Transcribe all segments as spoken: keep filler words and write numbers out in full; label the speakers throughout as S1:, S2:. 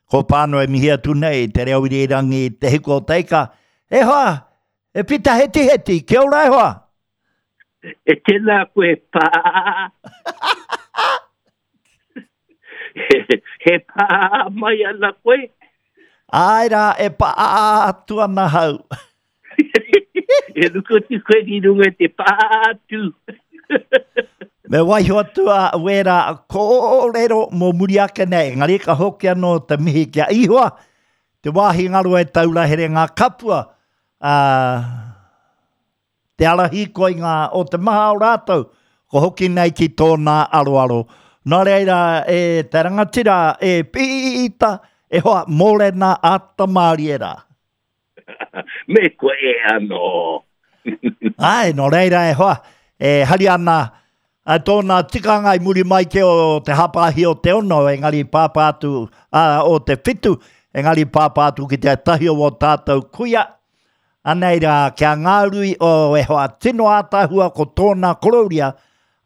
S1: Ko Pāno e mihi atu nei, te reo irirangi, te hiku o teika. E hoa, e Pita Hetiheti, kia ora e hoa.
S2: E tēnā koe pā. he, he pā mai ana koe.
S1: Ai rā, e pā atu ana hau.
S2: E ruku atu koe ki runga i te pā atu.
S1: Me waiho atu a wērā kōrero mō muri ake nei, engari ka hoki anō te mihi ki a Ihoa, te wāhi ngaro e taura here ngā kapua, ā, te ara hīkoi ngā o te maha o rātou, ko hoki nei ki tōna aroaro. Nō reira, e te rangatira, e Pita, e hoa, mōrena a Tamārie rā.
S2: Me koe e anō.
S1: Ai, nō reira e hoa, e hari ana a tōna tikanga i muri mai ke o te hapāhi o te ono, engari pāpā atu a, o te whitu, engari pāpā atu ki te tahi o o tātou kuia. Anei rā, kia ngārui o e hoa tino ātahua ko tōna korōria,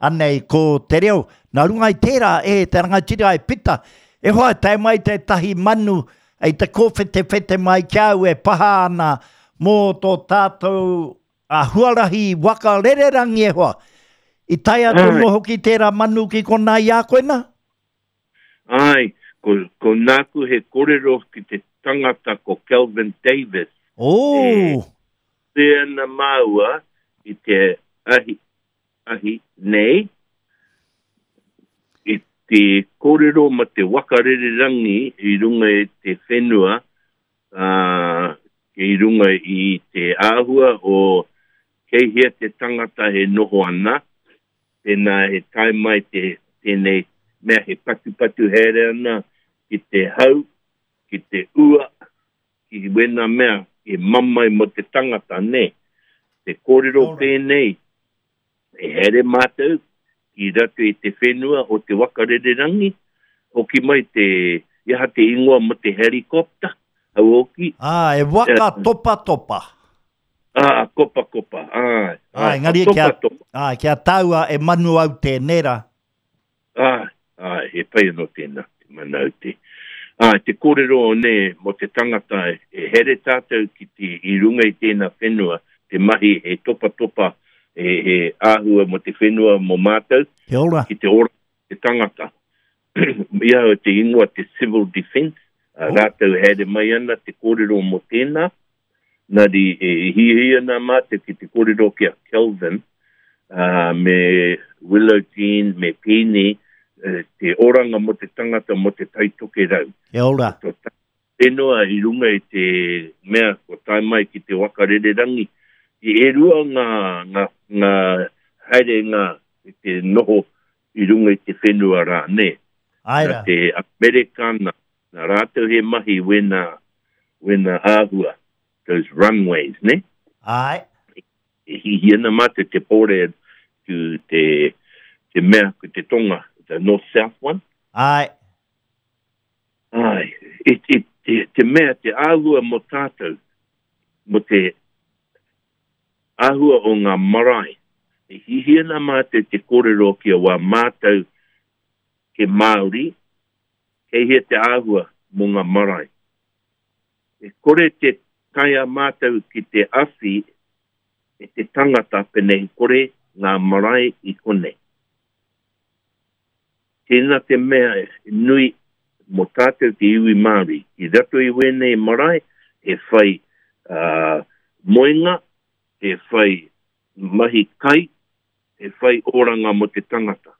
S1: anei ko te reo. Nā runga i tērā, e te rangatira e Pita, e hoa tae mai tētahi manu ei te kōwhetewhete mai ki au e paha ana mō tō tātou a huarahi waka rererangi e hoa. I tae atu
S2: Ai.
S1: anō hoki tērā manu ki konā i a koe nā?
S2: Ai, ko, ko nāku he kōrero ki te tangata ko Kelvin Davis.
S1: Oh!
S2: E ana māua i te ahi, ahi nei, i te kōrero ma te waka rererangi i runga i te whenua, uh, i runga i te āhua o kei hea te tangata he noho ana, tēnā he tae mai te, tēnei mea he patupatu haere ana ki te hau, ki te ua, ki wena mea e mamae mo te tangata, ne. Te kōrero
S1: Ora.
S2: pēnei, e haere mātou ki rato i te whenua o te waka rererangi, hoki mai te, i aha te ingoa mo te helikopta, hau hoki.
S1: Ah, e waka topa topa.
S2: Ah, kopa kopa, ai,
S1: Ai,
S2: ai,
S1: engari
S2: topa
S1: kia,
S2: topa.
S1: ai, kia taua e manu au tēnei rā.
S2: Ai, ai, he pai anō tēnā, te mana aute. Ai, te kōrero o ne, mo te tangata e, e here tātou ki te, i runga i tēnā whenua, te mahi he topa topa, he, he āhua mo te whenua mo mātou,
S1: Kia ora.
S2: ki te ora te tangata. I au te ingoa te civil defence, uh,
S1: Oh.
S2: rātou haere mai ana te kōrero mo tēnā, nari e hiahia ana mātou ki te kōrero ki a Kelvin, uh, me Willow Jean, me Pini, uh, te oranga mo te tangata mo te Taitokerau.
S1: Kia ora.
S2: Ko ta whenua i runga i te mea ko tae mai ki te waka rererangi. I e rua ngā, ngā, ngā haere ngā i te noho i runga i te whenua rā, ne.
S1: Ai
S2: Nā
S1: rā.
S2: te Amerikana, nā rātou he mahi wena, wena āhua, those runways, ne?
S1: Ai.
S2: E hihi ana mātou te pōre to te, te mea ko te tonga, the north-south one.
S1: Ai.
S2: Ai, e, e, te, te mea, te āhua mō tātou, mō te āhua o ngā marae. E hihi ana mātou te kōrero ki a wā mātou ke Māori, kei hea te āhua mō ngā marae. E kore te taea mātou ki te awhi e te tangata penei kore ngā marae i konei. Tēnā te mea nui mō tātou te iwi Māori. I rato i wēnei marae, he whai uh, moenga, he whai mahi kai, he whai oranga mō te tangata.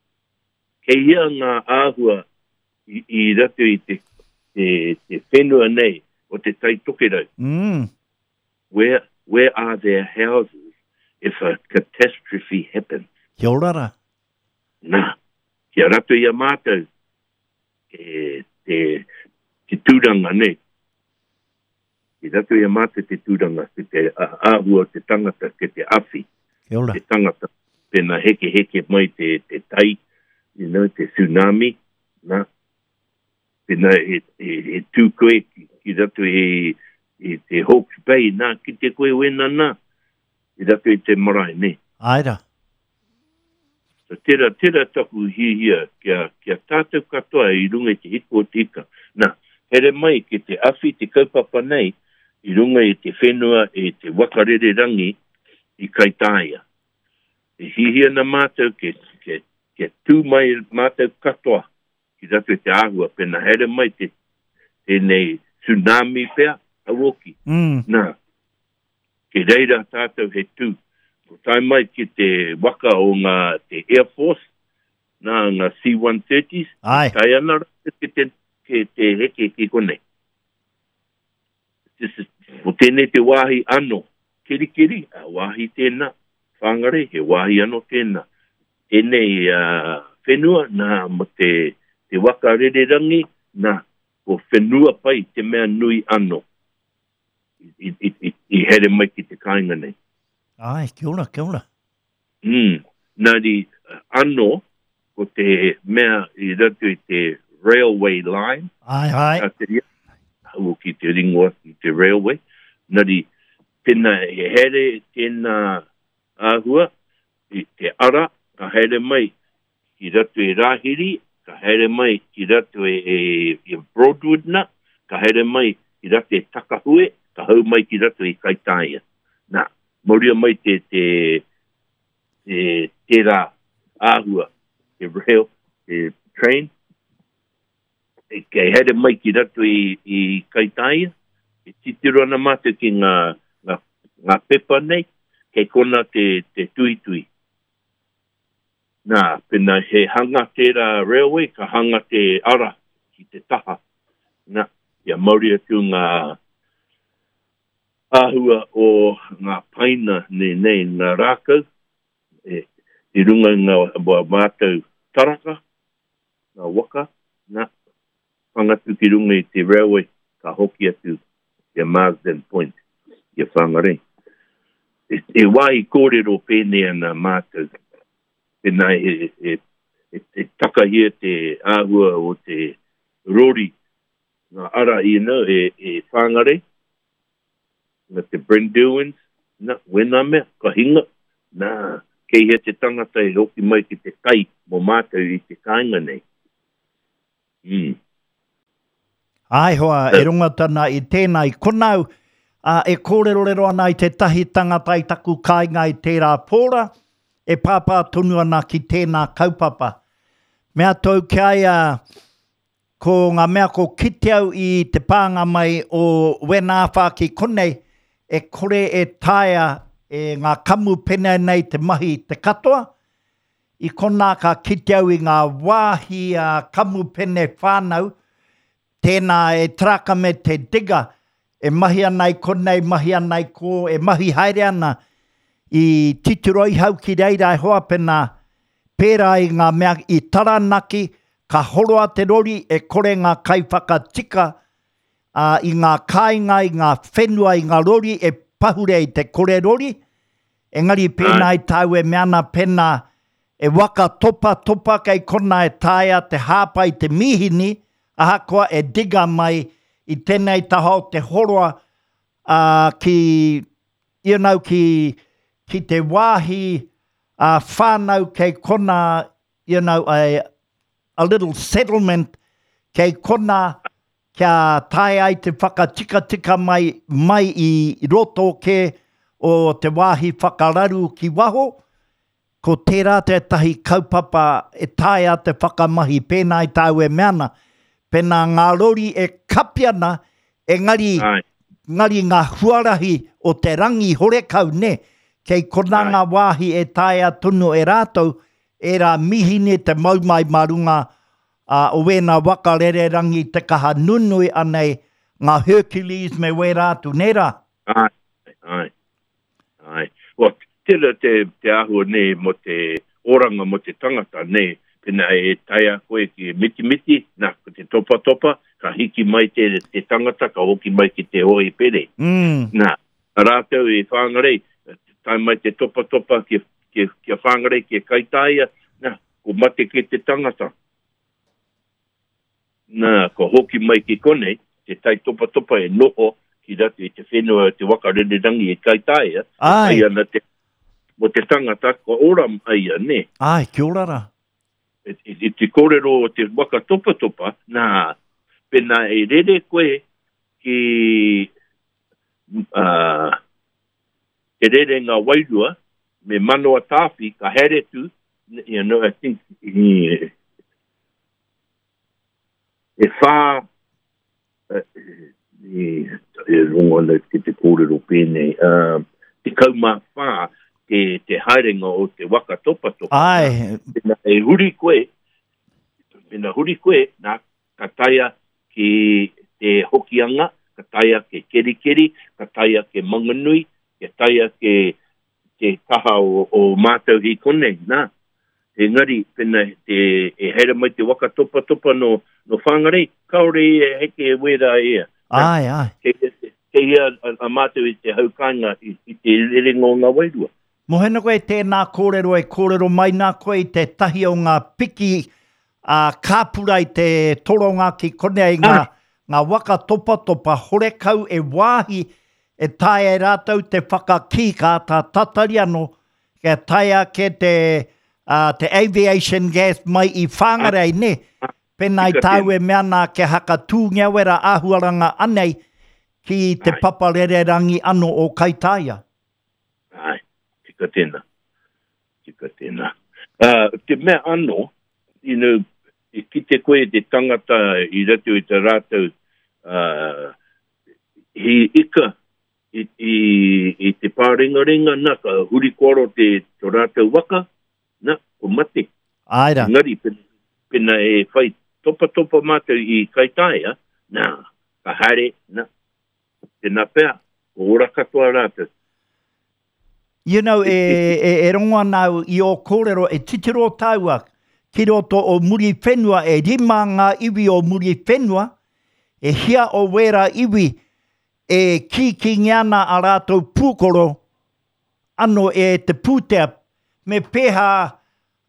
S2: Kei hea ngā āhua i, i rato i te, te, te whenua nei o te Taitokerau.
S1: Mm.
S2: Where, where are their houses if a catastrophe happens?
S1: Kia ora rā.
S2: Nā, kia rato i a mātou e, te, te tūranga nei. I rato i a mātou te tūranga, ki te āhua o te tangata, ki te awhi,
S1: Kia ora.
S2: te tangata. Pēnā heke heke mai te, te tai, you know, te tsunami, nā. Pēnā e, e, e tū koe ki, ki rato i, i te Hawke's Bay, nā, ki te koe wena nā, i rato i te marae, nei.
S1: Ai rā.
S2: So, tērā, tērā taku hihia kia, kia tātou katoa i runga i te hiku o te ika. Nā, Here mai ki te awhi te kaupapa nei i runga i te whenua e te wakarererangi i Kaitaia. E hihi ana mātou ke, ke, ke tū mai mātou katoa ki rato i te āhua, pena here mai te, tēnei tsunami pea, auoki.
S1: Mm.
S2: Nā, ke reira tātou he tū. Ko tae mai ki te waka o ngā, te Air Force, nā ngā C one thirties,
S1: Ai.
S2: tae ana rātou ki te, ki te heke ki konei. This is, ko tēnei te wāhi anō. Kirikiri, a wāhi tēnā. Whangarei, he wāhi anō tēnā. Tēnei uh, whenua, nā, mo te, te waka rererangi, nā, ko whenua pai te mea nui anō. I, i, i, i here mai ki te kāinga nei.
S1: Ai, kia ora, kia ora.
S2: Mm. Nā di, anō, ko te mea i rato i te railway line.
S1: Ai, ai.
S2: Nā te ria, hau ki te ringoa, ki te railway. Nā di, tēnā he here, tēnā āhua, i te ara, ka here mai ki rato i Rāhiri, ka here mai ki rato e, e, e Broadwood na, ka here mai ki rato e Takahue, ka hau mai ki rato i Kaitaia. Nā, mauria mai te, te, te, tērā āhua, te rail, te train, e, kei here mai ki rato i, i Kaitaia, e titiro ana mātou ki ngā, ngā, ngā pepa nei, kei kona te, te tuitui. Nā, pena he hanga tērā railway, ka hanga te ara ki te taha. Nā, kia mauri atu ngā āhua o ngā paina nei, nei ngā rākau, e, i runga i ngā mātou taraka, ngā waka, nā, whangatu ki runga i te railway, ka hoki atu ki a Marsden Point, ki a Whangarei. E, e wāhi kōrero pēnei ana mātou, pēnā e, e, e, e takahia te āhua o te rori, ngā ara i nau e, e Whangarei, ngā te Brynderwyns, nā, wena mea, ka hinga, nā, kei hea te tangata e hoki mai ki te kai mō mātou i te kāinga nei. Mm.
S1: Ai hoa, e runga tana i tēnā i konau, a, e kōrerorero ana i tētahi tangata i taku kāinga i tērā pōra, e pāpā tonu ana ki tēnā kaupapa. Mea tau ki aia, ko ngā mea ko kite au i te pānga mai o Wenāwhā ki konei, e kore e taea e ngā kamupene nei te mahi te katoa. I konā ka kite au i ngā wāhi a kamupene whānau, tēnā e traka me te diga, e mahi ana i konei, mahi ana i ko, e mahi haere ana i titiro i hau ki reira e hoa pena, pērā i ngā mea i Taranaki, ka horoa te rori e kore ngā kaiwhakatika uh, i ngā kāinga, i ngā whenua, i ngā rori e pahure i te kore rori. Engari pēnā i tāu e mea ana pēnā e waka topa topa kei kona e taea te hāpai te mihini, ahakoa e diga mai i tēnei taha o te horoa uh, ki, you know, ki, ki te wāhi uh, whānau kei kona, you know, a, a little settlement kei kona kia tae ai te whakatikatika mai, mai i roto ke o te wāhi whakararu ki waho, ko tērā tētahi kaupapa e taea te whakamahi pēnā i tāu e mea ana. Pēnā ngā rori e kapi ana, engari, ngari ngā huarahi o te rangi horekau, ne? Kei kona ngā wāhi e taea tonu e rātou, e rā mihine te mau mai mā runga uh, o wēnā waka rererangi te kaha nunui anei ngā Hercules me wērā atu, nē rā?
S2: Ai, ai, ai. Well, tērā te, te āhua nei mo te oranga mo te tangata nei, pēnā e taea koe ki mitimiti, nā, ko te topa topa, ka hiki mai te, te tangata, ka hoki mai ki te hoi pere.
S1: Mm.
S2: Nā, rātou e Whangarei, tae mai te topa topa ki, ki, ki a Whangarei, ki a Kaitaia, nā, ko mate ki te tangata. Nā, ko hoki mai ki konei, te tai topa topa e noho ki rato i te whenua te waka rererangi e Kaitaia,
S1: Ai.
S2: ai ana te, mo te tangata, ko ora aia, ne.
S1: Ai, kia ora rā.
S2: I, i, i te kōrero o te waka topa topa, nā, Pena e rere koe ki uh, te rere ngā wairua, me manoa tāwhi, ka here tu, you know, I think, e, e whā, e, e, e rongo ana ki te kōrero pēnei, uh, te kaumā whā, te, te haerenga o te waka topatopa.
S1: Ai.
S2: Pena e huri koe, pena huri koe, nā, ka taia ki te Hokianga, ka taia ke Kerikeri, ka taia ke Manganui, ka taia ke te taha o, o mātou hi konei, nā. Engari, pena te, e haere mai te waka topatopa no, no Whangarei, kaore e heke e wera e.
S1: Ai, ai.
S2: Kei, kei hea a, a mātou i te haukainga i, i te rerenga o ngā wairua.
S1: Mohena koe tēnā kōrero e kōrero mai nā koe i te tahi o ngā piki a kāpura i te toronga ki konei ngā, ah. ngā waka topatopa horekau e wāhi e taea e rātou te whakakī ka tā tatari anō, kia taea ke te, uh, te aviation gas mai i Whangarei, ah. ne? Pēnā i tāu e mea nā kia hakatūngia wera āhuaranga anei ki te
S2: Ai.
S1: papa rererangi anō o Kaitaia.
S2: Ai, tika tēnā. Tika tēnā. Uh, te mea anō, you know, i kite koe te tangata i rato i te rātou uh, hi ika i, i, i te pārengarenga, nā, ka huri koro te, te rātou waka, nā, ko mate.
S1: Ai rā.
S2: Engari, pena, pena e whai topatopa mātou i Kaitaia, nā, ka haere, nā, tēnā pea, ko ora katoa rātou.
S1: You know, e, e, e rongo ana au i o kōrero, e titiro tāua ki roto o muri whenua, e rima ngā iwi o muri whenua, e hia o wera iwi e kīkingi ana a rātou pūkoro ano e te pūtea, me pēhā,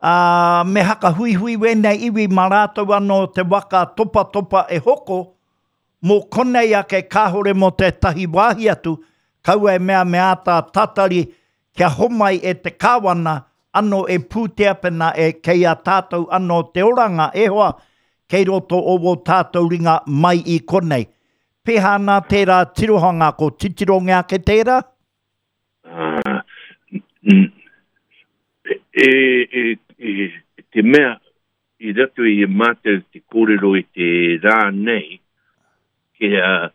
S1: uh, me hakahuihui wēnei iwi mā rātou ano te waka topatopa e hoko, mō konei ake kāhore mō tētahi wāhi atu, kaua e mea me āta tatari kia homai e te kāwana ano e pūtea pena e kei a tātou ano te oranga e hoa kei roto o wō tātou ringa mai i konei. Pēhā nā tērā tirohanga ko titirongia ke tērā?
S2: Uh, e, e, e, te mea i rato i e mātou te kōrero i te rā nei, kia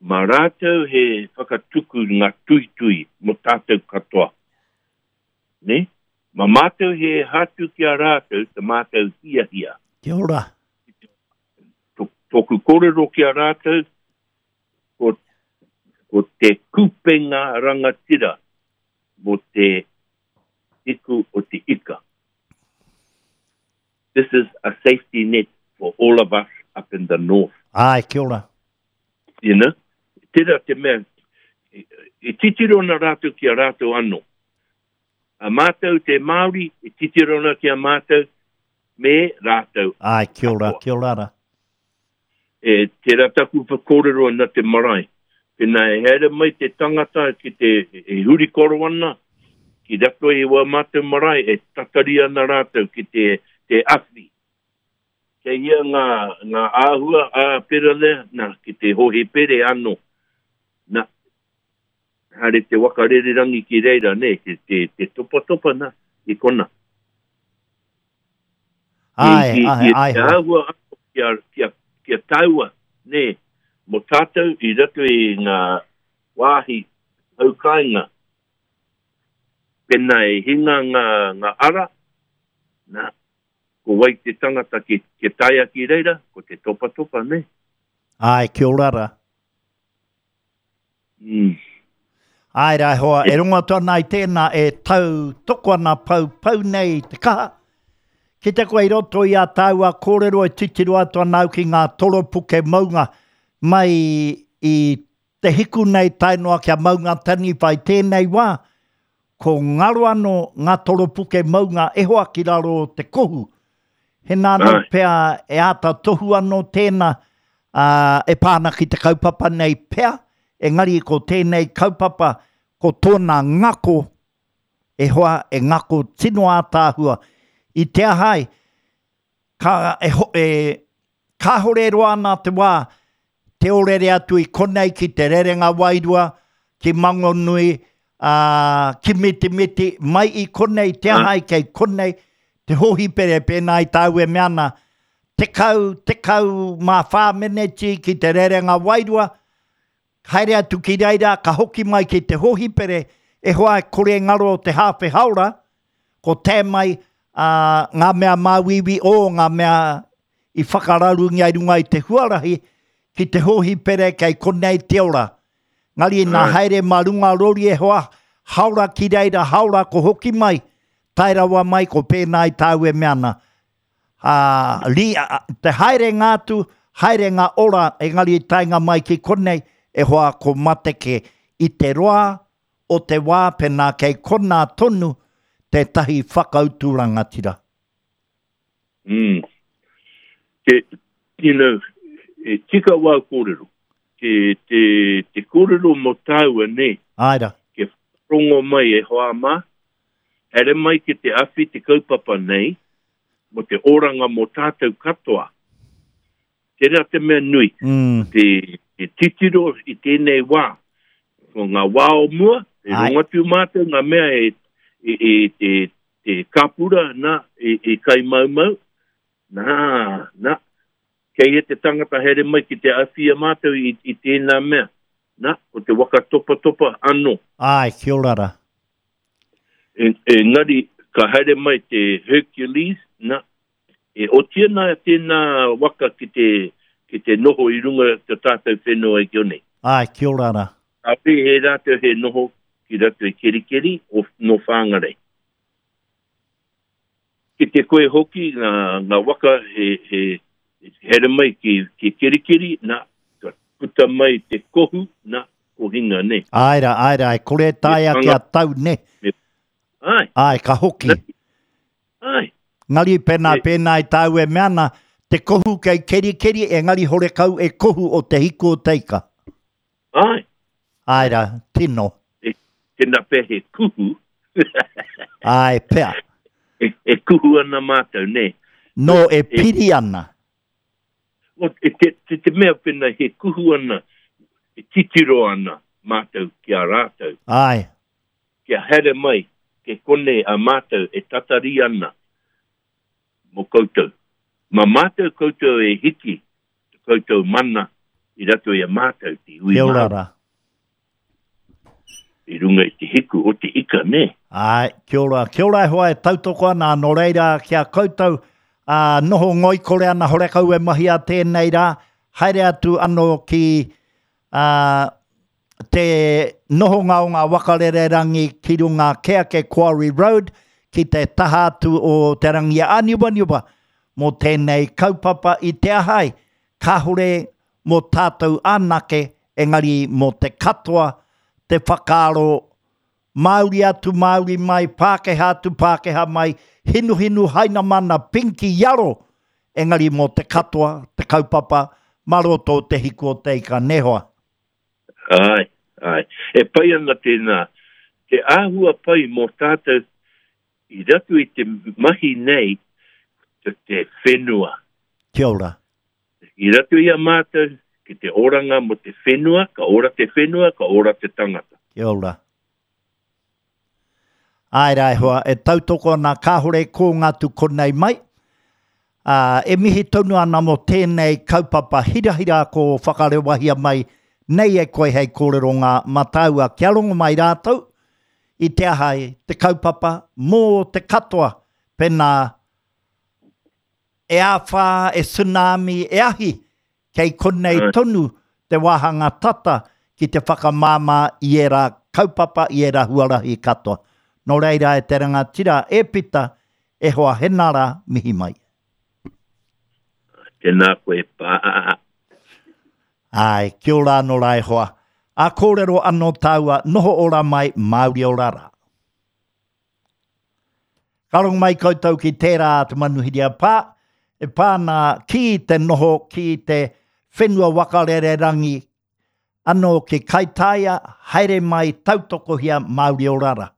S2: mā rātou he whakatuku ngā tuitui mō tātou katoa. Ne? Mā mātou he hatu ki a rātou te mātou hiahia.
S1: Kia ora.
S2: Tōku kōrero ki a rātou, ko, ko te kupenga rangatira mō te iku o te ika. This is a safety net for all of us up in the north.
S1: Ai, kia ora.
S2: You know? Tērā te mea, e titiro na rātou ki a rātou anō. A mātou te Māori, e titiro na ki a mātou me rātou.
S1: Ai, kia ora, kia ora rā.
S2: E, tērā taku whakōrero na te marae. Pēnā e haere mai te tangata ki te e huri koro ana, ki rato i wā mātou marae, e tatari ana rātou ki te, te awhi. Kei ia ngā, ngā āhua a pera lea, nā, ki te hohe pere anō. Nā, haere te waka rererangi ki reira, ne, te, te, te topatopa nā, i kona.
S1: Ai,
S2: I, i,
S1: ai,
S2: i
S1: ai.
S2: Te āhua anō kia, kia, kia taua, ne, mō tātou i rato i ngā wāhi haukainga. Pēnā e hinga ngā, ngā ara, nā, ko wai te tangata ki, ki taia ki reira, ko te topatopa, ne?
S1: Ai, kia ora rā.
S2: Mm.
S1: Ai rā hoa, e rongo atu ana i tēnā e tau toko ana pau pau nei te kaha. Ki te koe i roto i a tāua kōrero e titiro atu ana au ki ngā toropuke maunga mai i te hiku nei tae noa kia maunga taniwha i tēnei wā, ko ngaro anō ngā toropuke maunga e hoa ki raro o te kohu. He nāno
S2: Ai.
S1: pea e āta tohu anō tēnā uh, e pāna ki te kaupapa nei pea, engari ko tēnei kaupapa ko tōna ngako e hoa e ngako tino ātāhua. I te ahai, ka, e, ho, e, Kāhore roa ana te wā, te orere atu i konei ki te rerenga wairua, ki Mangonui, ā, ki Mitimiti, mai i konei, te aha ai kei konei, te hōhipere pēnā i tāu e mea ana, tekau, tekau mā whā meneti ki te rerenga wairua, haere atu ki reira, ka hoki mai ki te hōhipere, e hoa e kore ngaro te hāwhe haora, ko tē mai ā, ngā mea māuiui o ngā mea i whakararungia i runga i te huarahi, ki te hōhipere kei konei te ora. Ngari nā haere mā runga rori e hoa, haora ki reira, haora ko hoki mai, tae rawa mai ko pēnā i tāu e mea ana. Ā, ri, a, te haerenga atu, haerenga ora, engari i taenga mai ki konei, e hoa ko mateke i te roa o te wā pēnā kei konā tonu tētahi whakautu rangatira.
S2: Mm. Te, you know, e tika wā kōrero. Te, te, te kōrero mō tāua nei.
S1: Āe rā.
S2: Kia rongo mai e hoa mā, haere mai ki te awhi te kaupapa nei, mō te oranga mō tātou katoa. Tērā te mea nui,
S1: mm.
S2: te, te titiro i tēnei wā. Ko ngā wā o mua, e rongo atu mātou ngā mea e, e, e, te, te kāpura, nā, e, e kai maumau, nā, nā, kei he te tangata haere mai ki te awhi a mātou i, i tēnā mea. Nā, ko te waka topatopa anō.
S1: Āe, kia ora rā.
S2: E, engari, ka haere mai te Hercules, nā, e oti ana tēnā waka ki te, ki te noho i runga te tātou whenua i konei.
S1: Āe, kia ora rā.
S2: Kāore he rātou he noho ki roto i Kerikeri o nō Whangarei. Ki te koe hoki ngā, ngā waka he, he, haere mai ki, ki Kerikeri, nā, ka puta mai te kohu, nā, ko hinga, nē.
S1: Āe rā, āe rā, e kore taea kia tau, nē.
S2: Āe.
S1: Āe, ka hoki.
S2: Āe.
S1: Ngari pēnā, pēnā i tāu e mea ana, te kohu kei Kerikeri, engari horekau e kohu o te hiku o te ika.
S2: Āe.
S1: Āe rā, tino.
S2: E, tēnā pea he kuhu.
S1: Āe, pea.
S2: E, e kuhu ana mātou, nē.
S1: Nō, e piri ana.
S2: O, e te, te, te mea pēnā he kuhu ana, e titiro ana mātou ki a rātou.
S1: Āe.
S2: Kia haere mai, ke konei a mātou e tatari ana mō koutou. Mā mātou koutou e hiki te koutou mana i roto i a mātou te iwi
S1: Kia ora
S2: Māori.
S1: rā.
S2: I runga i te hiku o te ika, nē?
S1: Āe, kia ora. Kia ora e hoa e tautoko ana, nō reira ki a koutou, ā, noho ngoikore ana horekau e mahia tēnei rā, haere atu anō ki, ā, te nohonga o ngā waka rererangi ki runga Keake Quarry Road, ki te taha atu o Te Rangi-a-Āniwaniwa mō tēnei kaupapa i te aha ai, kāore mō tātou anake, engari mō te katoa te whakaaro Māori atu, Māori mai, Pākehā atu, Pākehā mai, hinuhinu, hainamana, pinki, iaro, engari mō te katoa te kaupapa mā roto o Te Hiku o Te Ika, nē hoa?
S2: Āe, āe. E pai ana tēnā. Te āhua pai mō tātou i roto i te mahi nei ko te whenua.
S1: Kia ora.
S2: I roto i a mātou ki te oranga mō te whenua, ka ora te whenua, ka ora te tangata.
S1: Kia ora. Āe rā e hoa, e tautoko ana kāore kōnga atu konei mai. Ā, e mihi tonu ana mō tēnei kaupapa hirahira ko whakarewahia mai nei e koe hei kōreronga mā tāua kia rongo mai rātou i te aha ai te kaupapa mō te katoa pēnā e āwhā, e tsunami, e ahi, kei konei tonu te wāhanga tata ki te whakamāmā i ērā kaupapa, i ērā huarahi katoa. Nō reira e te rangatira, e Pita, e hoa Henara, mihi mai.
S2: Tēnā koe, pā.
S1: Āe, kia ora anō rā e hoa. Ā kōrero anō tāua, noho ora mai, Māori ora rā. Ka rongo mai koutou ki tērā te manuhiri a Pā, e pā ana ki te noho ki te whenua waka rererangi anō ki Kaitaia, haere mai tautokohia Māori ora rā.